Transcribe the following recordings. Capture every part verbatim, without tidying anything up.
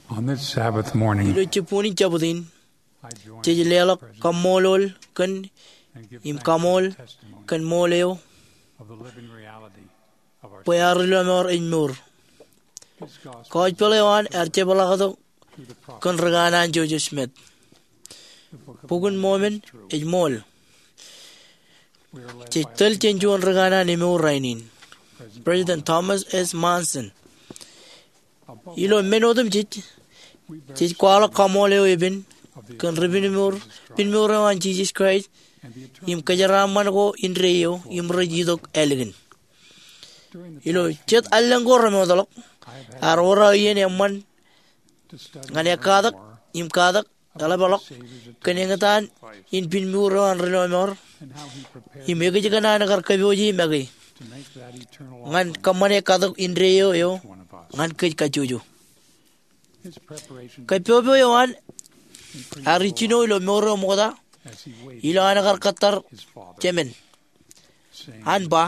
On this Sabbath morning, ilo jibboñin Jabōt in, I join jej leḷọk kaṃṃoolol kōn im kaṃool kōn ṃool eo of the living reality of our bwe ad ri lọmọọr ej mour. His gospel Gospel eo an ear jepḷaaktok through the prophet kōn ri kanaan Joseph Smith. The Book of Bok in Mormon ej ṃool. Jej tōl jān juon ri kanaan emour rainin, President Thomas S. Monson. Ilo men otemjej, jej kwaḷọk kaṃool eo epen kōn ri pinmour, pinmour eo an Jisōs Kraist im kōjeraaṃṃan ko indeeo im rej itok ālikin. Ilo jet allōñ ko remootḷọk, ear wōr aō iien eṃṃan ñan ekkatak im katak eḷapḷọk kōn eñtaan in pinmour eo an ri lọmọọr im ekōjkan an kar kōpooje make ñan kōṃṃane katok indeeo eo ñan kōj kajjojo. Kōpopo eo an ear ijjino ilo mour eo ṃokta ilo an kar kōttar jemān, an ba,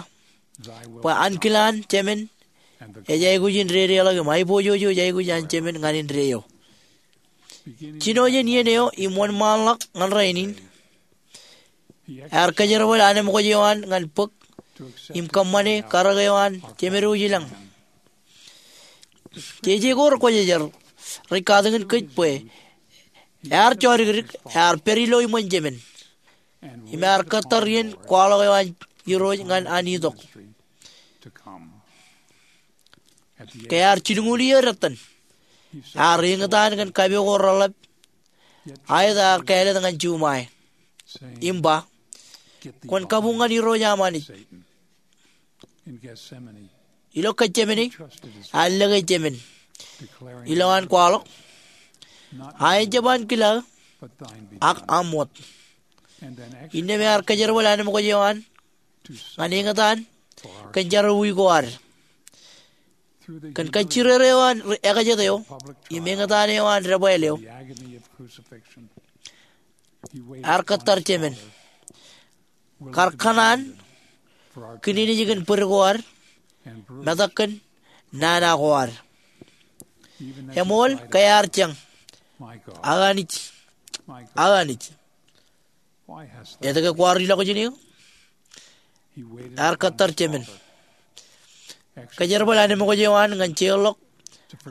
bwe ankilaan jemān ej aikuj in dedeḷọk im aiboojoj ej aikuj an jemān ñan indeeo. Jino jān iien eo im wōnṃaanḷọk ñan rainin, ear kōjerbal anemkwōj eo an ñan bōk im kōṃṃane karōk eo an Jemedwōj ilañ. Jeje ko rekwōjarjar rej katakin kōj bwe ear jodikdik, ear pād ilo iṃōn jemān im ear kōttar iien kwaḷọk eo an Irooj ñan an itok. Ke ear jilñuul iiō detten, ear eñtaan kōn kape ko reḷap, aet ear kāālōt ñan juṃae im ba, kwōn kabuñ ñan Irooj aṃ Anij. Ilo Getsemane, ear lōke jemān ilo an kwaḷọk, aet jab ankilaaō, ak aṃ wōt. Innām ear kōjerbal anemkwōj eo an ñan eñtaan kōn jerọwiwi ko ad. Kōn kajjirere eo an ekajet eo im eñtaan eo an debwāāl eo, ear kōttar jemān, kar kōṇaan kōn nejin bōd ko ad, metak kōn nana ko ad. Eṃool ke ear jañ, Aō Anij, Aō Anij, etke kwaar ilọk jān eō? Ear kōttar jemān. Kōjerbal anemkwōj eo an ñan jeorḷọk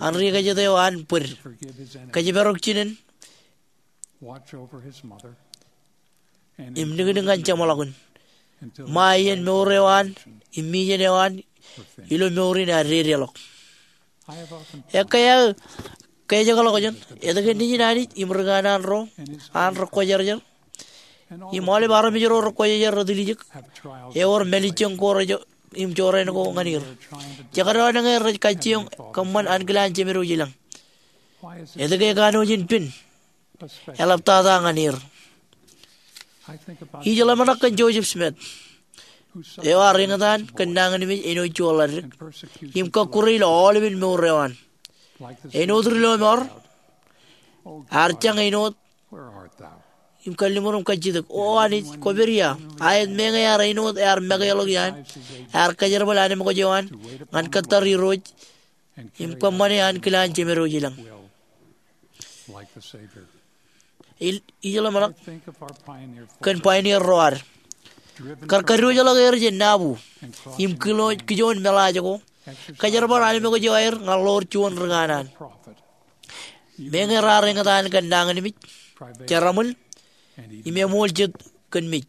an ri-kōjāt eo an bōd. Kōjparok jinen im niknik ñan jeṃḷọkin ṃae iien mour eo an im mijen eo an ilo mour in ear dedeḷọk. Ekkā aō kōjekḷọk jān etke nejin Anij im ri kanaan ro an rekwōjarjar im aolep armej ro rekwōjarjar retiljek ewōr mālejjoñ ko im jorrāān ko ñan er. Jekdọọn ñe rej kajjioñ kōṃṃan ankilaan Jemedwōj ilañ. Etke kanooj in pen eḷaptata ñan er? Ij ḷōmṇak kōn Joseph Smith, eo ear eñtaan kōn nañinmej āinwōt juon ḷaddik im kọkkure ilo aolepen mour eo an. Āinwōt ri lọmọọr, ear jañ āinwōt im kalliṃur im kajjitōk, O Anij, kwōpād ia? Aet meñe ear āinwōt ear makeḷọk iaan ear kōjerbal anemkwōj eo an ñan kōttar Irooj im kōṃṃane ankilaan Jemedwōj ilañ. Ij ḷōmṇak kōn pioneer ro ad, kar kadiwōjḷọk er jān nabu im kijoon meḷaaj ko, kōjerbal anemkwōj eo aer ñan ḷoor juon ri kanaan. Meñe raar eñtaan kōn nañinmej, jeraṃōl, im eṃool jet kōn mej.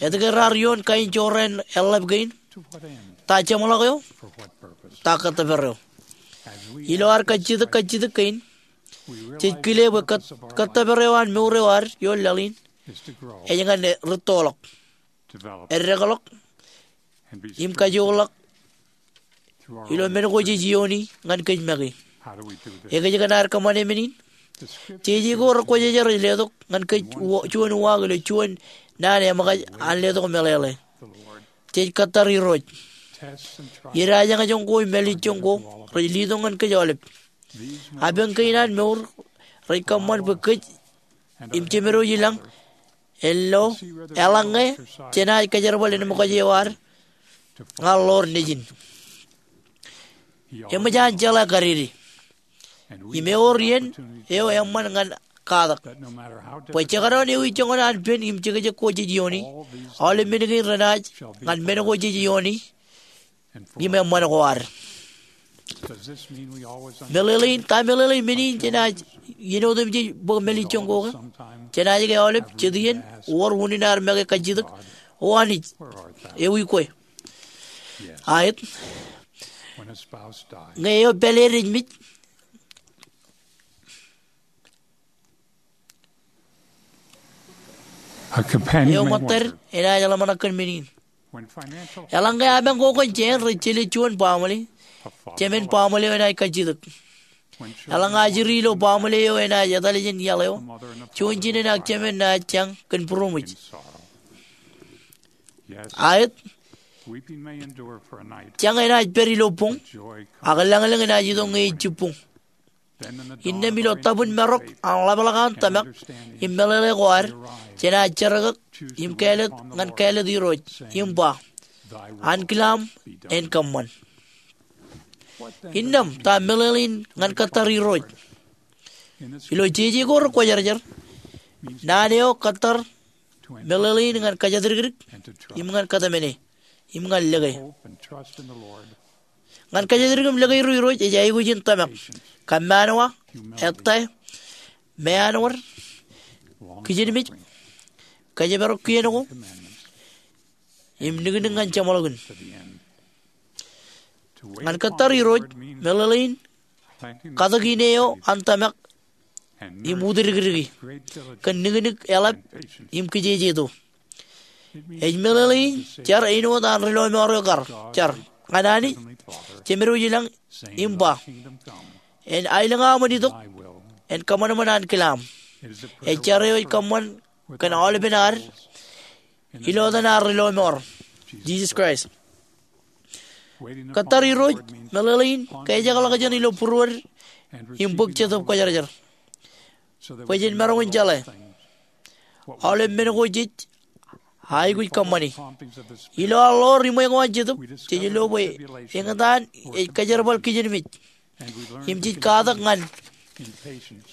Etke raar ioon kain jorrāān eḷḷap kein? Ta jeṃḷọk eo? Ta kōttōpar eo? Ilo ad kajjitōk kajjitōk kein, jej kile bwe kōttōpar eo an mour eo ad ioon laḷ in ej ñan rūttoḷọk, eddekḷọk, im kajoorḷọk ilo men ko jej iooni ñan kōj make. Ekōjkan ad kōṃṃane men in? Jeje ko rekwōjarjar ej letok ñan kōj juon uwaak ilo juon naan eṃōkaj an letok meḷeḷe. Jej kōttar Irooj. Idajañjoñ ko im mālejjoñ ko rej letok ñan kōj aolep. Apañ kein an mour rej kōṃṃan bwe kōj im Jemedwōj ilañ en lo eḷaññe jenaaj kōjerbal anemkwōj eo ad ñan ḷoor nejin. Eṃōj an jeḷā kadede. Im ewōr iien eo eṃṃan ñan katak. Bwe jekdọọn ewi joñan an pen im jekjek ko jej iioni, aolep men kein renaaj ñan men ko jej iioni im eṃṃan ko ad. Meḷeḷein, ta meḷeḷein men in jenaaj iien otemjej bōk mālejjoñ ko ke? Jenaaj ke aolep, jet iien, wōr unin ad make kajjitōk, O Anij, ewi kwe? Aet. Ñe eo pāleed ej mej, eo ṃōttad enaaj ḷōmṇak kōn men in. Eḷaññe ke apañ ko kōn jāān rej jelōt juon baaṃle, jemān baaṃle eo enaaj kajjitōk. Eḷaññe ajri ilo baaṃle eo enaaj etal jān iaḷ eo, juon jinen ak jemān naaj jañ kōn būroṃōj. Aet. Jañ enaaj pād ilo boñ, ak lañlōñ enaaj itok ñe ej jibboñ. Innām ilo tabwin marok an ḷapḷọk an tōmak im meḷeḷe ko ad, jenaaj jerkaktok im kāālōt ñan kāālōt Irooj im ba, Ankilaam en kōṃṃan. Innām ta meḷeḷein ñan kōttar Irooj? Ilo jeje ko rekwōjarjar, naan eo kōttar meḷeḷein ñan kōjatdikdik im ñan kōtmāne im ñan lōke. Ñan kōjatdikdik im lōke ilo Irooj ej aikuj in tōmak, kōmmaanwa, ettā, meanwōd, kijenmej, kōjparok kien ko, im niknik ñan jeṃḷọkin. Ñan kōttar Irooj, meḷeḷein katak ine eo an tōmak im utdikdiki kōn niknik eḷap im kijejeto. Ej meḷeḷein jar āinwōt an ri lọmọọr eo kar jar ñan Anij Jemedwōj ilañ im ba, En aelōñ aṃ en itok, en kōṃanṃan ankilaam. Ej jar eo ej kōṃṃan kōn aolepen ad ilo etan ad ri lọmọọr, Jisōs Kraist. Kōttar Irooj meḷeḷein kōjekḷọk jān ilo būruod im bōk Jetōb Kwōjarjar bwe jen maroñ in jeḷā aolep men ko jej aikuj kōṃṃani. Ilo ad ḷoor iṃwe ko an Jetōb, jej lo bwe eñtaan ej kōjerbal kijenmej im jej katak ñan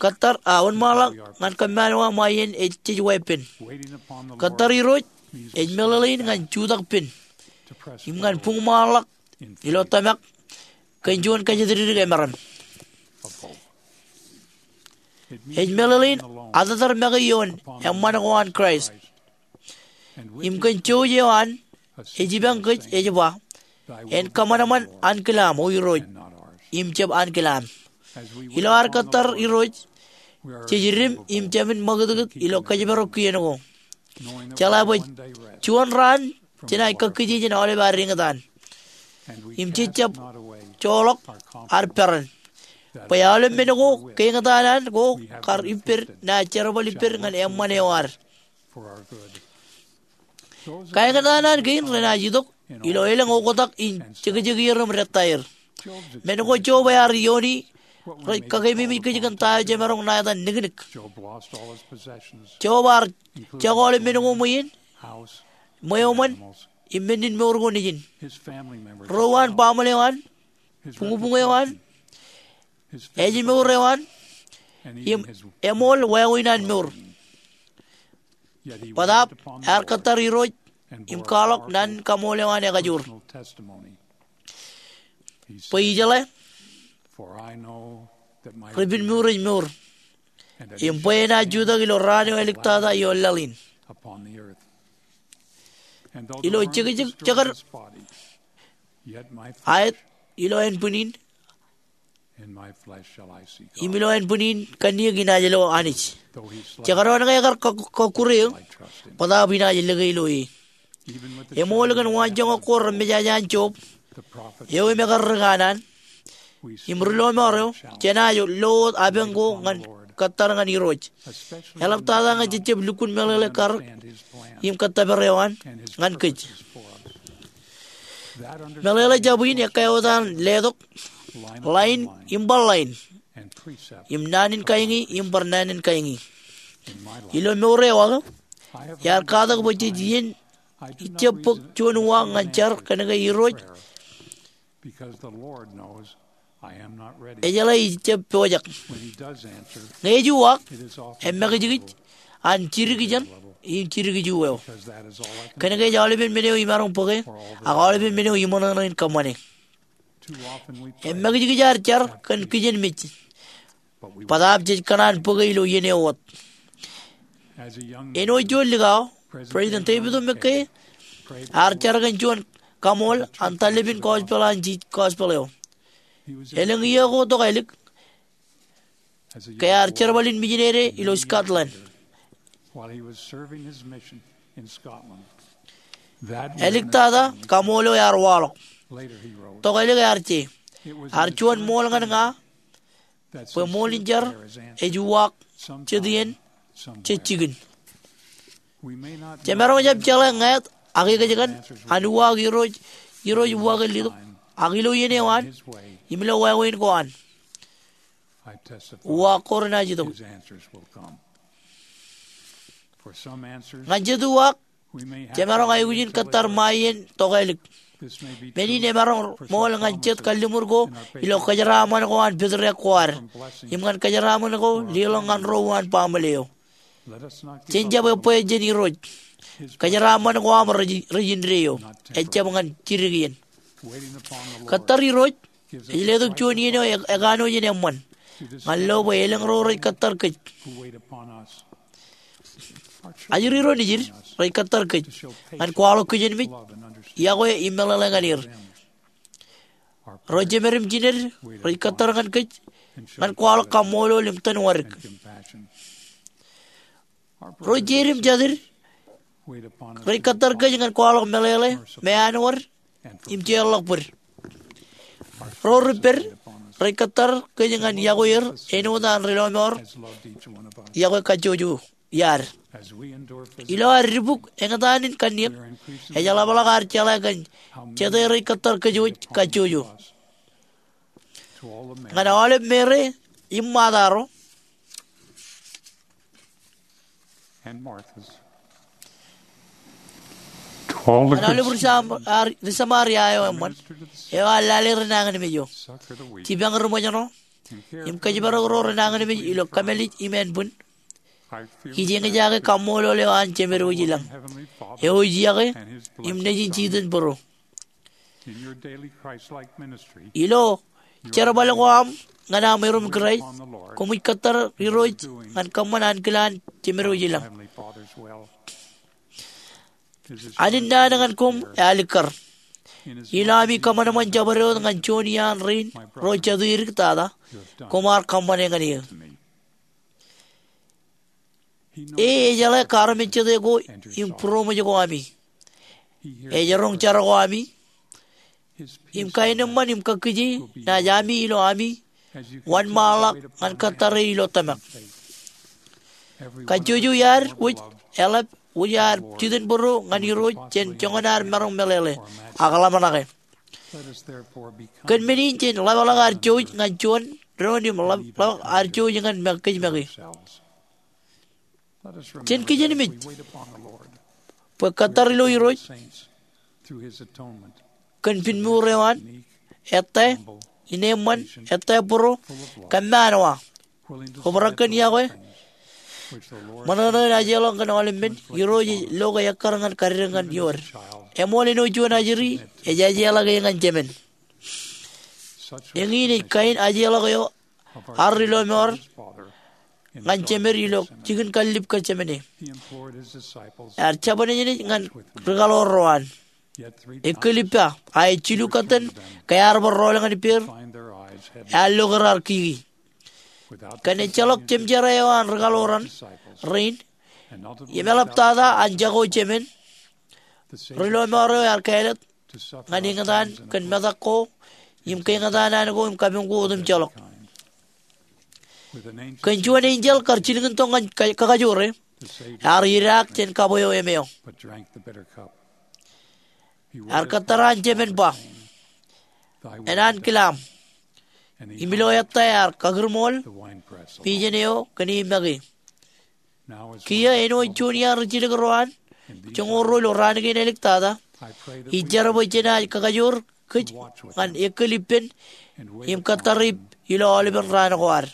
kōttar, a, wōnṃaanḷọk ñan kōmmaanwa ṃae iien ej jej weeppān. Kōttar Irooj ej meḷeḷein ñan jutak pen im ñan buñṃaanḷọk ilo tōmak kōn juon kōjatdikdik emaroñ. Ej meḷeḷein atōtar make ioon eṃṃan ko an Kraist. Im kōn jouj eo an, ej ipañ kōj ej ba, En kōṃanṃan ankilaam, O Irooj, im jab ankilaam. Ilo ad kōttar Irooj, jej idim im jāmin ṃakūtkūt ilo kōjparok kien ko, jeḷā bwe juon raan jenaaj kakkije jān aolep ad eñtaan. Im jej jab joḷọk ad peran bwe aolep men ko ke eñtaan an ko kar ippād naaj jerbal ippād ñan eṃṃan eo ad. Kaeñtaan an kein renaaj itok ilo elōñ oktak in jekjekier im dettaer. Men ko Job ear iioni rej kakeememej kōj kōn ta eo jemaroñ ṇa etan niknik. Job ear jako aolep men ko ṃweien, ṃweo ṃōn, im men in mour ko nejin. Ro an, baaṃle eo an, buñbuñ eo an, ājmour eo an, im eṃool wāween an mour. Bōtaab ear kōttar Irooj im kwaḷọk naan in kaṃool eo an ekajoor. Bwe ijeḷā, Ri-Pin mour ej mour, im bwe enaaj jutak ilo raan eo āliktata ioon laḷ in. Ilo jekjek jekar, aet, ilo ānbwin in, im ilo ānbwin in kanniōk inaaj lo Anij. Jekdọọn ke ekar kōk-, kọkkure eō, bōtaab inaaj lōke ilo e. Eṃool kōn waanjoñak ko remejaja an Job, eo im ekar ri kanaan, im ri lọmọọr eo, jenaaj lo wōt apañ ko ñan kōttar ñan Irooj, eḷaptata ñe jejjab lukkuun meḷeḷe karōk im kōttōpar eo an ñan kōj. Meḷeḷe jab in ekkā wōt an letok, ḷain im bar ḷain, im naan in kañi im bar naan in kañi. Ilo mour eo aō, iar katak bwe jej iien ijab bōk juon uwaak ñan jar kōnke Irooj Ejeḷā ij jab pojak. Ñe ej uwaak, emakijkij an jidik ijeṇ im jidik ijo eo. Kōnke ej aolepen men eo imaroñ bōke, ak aolepen men eo iṃōṇōṇō in kōṃṃane. Emakijkij ad jar kōn kijenmej, bōtaab jej kōṇaan bōke ilo iien eo wōt. Āinwōt juon likao, President David O. McKay ear jar kōn juon kaṃool an taḷapin gospel an jej gospel eo. Elōñ iiō ko tokālik, ke ear jerbal in mijinede ilo Scotland. Āliktata kaṃool eo ear waḷọk. Tokālik ear je, ear juon ṃool ñan ña bwe ṃool in jar ej uwaak jet iien, jet jikin. Jemaroñ jab jeḷā ñāāt ak ekōjkan an uwaak Irooj, Irooj uwaak in letok, ak ilo iien eo an im ilo wāween ko an, uwaak ko renaaj itok. Ñan jet uwaak, jemaroñ aikuj in kōttar ṃae iien tokālik. Men in emaroñ ṃool ñan jet kalliṃur ko ilo kōjeraaṃṃan ko an pātrōk ko ad, im ñan kōjeraaṃṃan ko leḷọk ñan ro uwaan baaṃle eo. Jen jab ebwe jān Irooj. Kōjeraaṃṃan ko aṃ rej, rej indeeo, ejjab ñan jidik iien. Kōttar Irooj ej letok juon iien eo e, ekanooj in eṃṃan ñan lo bwe elōñ ro rej kōttar kōj. Ajri ro nejid rej kōttar kōj ñan kwaḷọk kijenmej, iọkwe im meḷeḷe ñan er. Ro jemād im jined rej kōttar ñan kōj ñan kwaḷọk kaṃṃoolol im tōn wadik. Ro jeid im jatid rej kōttar kōj ñan kwaḷọk meḷeḷe, meanwōd im jeorḷọk bōd. Ro ripped rej kōttar kōj ñan iọkwe er āinwōt an ri lọmọọr iọkwe kajjojo iaad. Ilo ad dibuk eñtaan in kanniōk, ej ḷapḷọk ad jeḷā kōn jete rej kōttar kōj wōj kajjojo. Ñan aolep Meri im Ṃaata ro, ñan aolep ri Sam, ar, ri Samaria eo eṃṃan, eo ear lale renañinmej eo. Jipañ ri ṃōjṇọ im kōjparok ro renañinmej ilo kōmālij im ānbwin. Ij eñjake kaṃṃoolol eo an Jemed wōj ilañ, eo ej iọkwe im Nejin jitōnbōro. Ilo jerbal ko aṃ ñan aṃ erom Kraist, koṃij kōttar Irooj ñan kōṃṃan ankilaan Jemed wōj ilañ. Ālikkar. Ilo ami kōṃanṃan jabdewōt ñan juon iaan rein ro jatū edik tata, koṃ ar kōṃṃane ñan eō. E ejeḷā kaarmejjete ko im būroṃōj ko ami. Ej roñ jar ko ami. Im kaenōṃṃan im kakkije naaj ami ilo ami wōnṃaanḷọk ñan kōttare ilo tōmak. Kajjojo iaad wōj eḷap wōj ad jitōnbōro ñan Irooj jān joñan ad maroñ meḷeḷe ak ḷōmṇake. Kōn men in jen ḷapḷọk ad jouj ñan juon doon im ḷap-, ḷapḷọk ad jouj ñan kōj make. Jen kijenmej bwe kōttar ilo Irooj kōn pinmuur eo an, ettā, ineeṃṃan, ettā būro, kōmmaanwa, obrak kōn iọkwe, ṃōṇōṇō in ajeḷọk kōn aolep men. Irooj ej lo ke ekkar ñan kaddek ñan iood. Eṃool āinwōt juon ajri ej ajeḷọk e ñan jemān. Eñin ej kain ajeḷọk eo an ri lọmọọr ñan Jemed ilo jikin kallib Getsemane. Ear jabōn nejnej ñan ri kaḷoor ro an. Ekkōlippa, a ej jilu kōttan ke ear bar rọọl ñan ippāer, ear loke raar kiki. Kōn ejjeḷọk jemjerā eo an ri kaḷoor rein im eḷaptata an jako jemān, ri lọmọọr eo ear kāālōt ñan eñtaan kōn metak ko im keñtaan an ko im kabuñ ko otemjeḷọk. Kōn juon enjeḷ kar jilkintok ñan ka-, kakajoore, ear idaak jān kab eo emeọ. Ear kōttar an jemān ba, "Enañin kile aṃ." Im ilo ettā ear kakūrṃool pijen eo kōn e make. Kiiō āinwōt juon iaan ri jilkintok ro an joñoul ruo ilo raan kein āliktata, ij jar bwe jenaaj kakajoor kōj ñan ekkōlippān im kōttar ip ilo aolepen raan ko ad.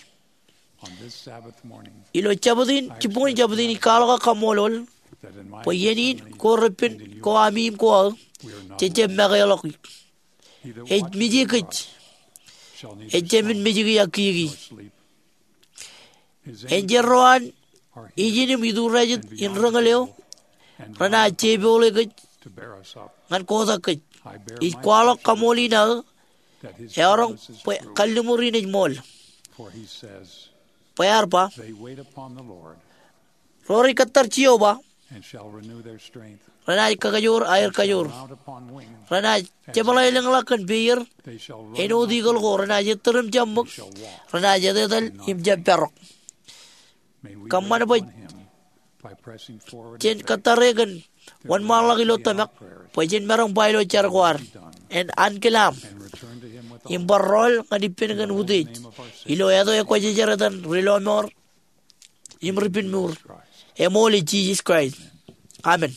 Ilo jabōt in, jibboñōn jabōt in, ij kwaḷọk ak kaṃṃoolol bwe iien in ko repen ko ami im ko aō, jej jab mekeḷọk. Ej mije kōj, ejāmin mejiki ak kiiki. Enjeḷ ro an ijin im ituriajet in reñōl eo renaaj jepoḷe kōj ñan kotak kōj. Ij kwaḷọk kaṃool in aō eọroñ bwe kalliṃur in ej ṃool. Bwe ear ba, ro rej kōttar Jeova renaaj kakajoor aer kajoor. Renaaj jepḷaelōñḷọk kōn peier āinwōt eagle ko. Renaaj ettōr im jab ṃōk. Renaaj etetal im jab parok. Kōṃṃan bwe jen kōttare kōn wōnṃaanḷọk ilo tōmak bwe jen maroñ ba ilo jar ko ad, en ankilaam im bar rọọl ñan ippān kōn utiej ilo etan Kwōjarjar etan Ri-lọmọọr im Ri-pinmuur, eṃool ej Jisōs Kraist. Amen.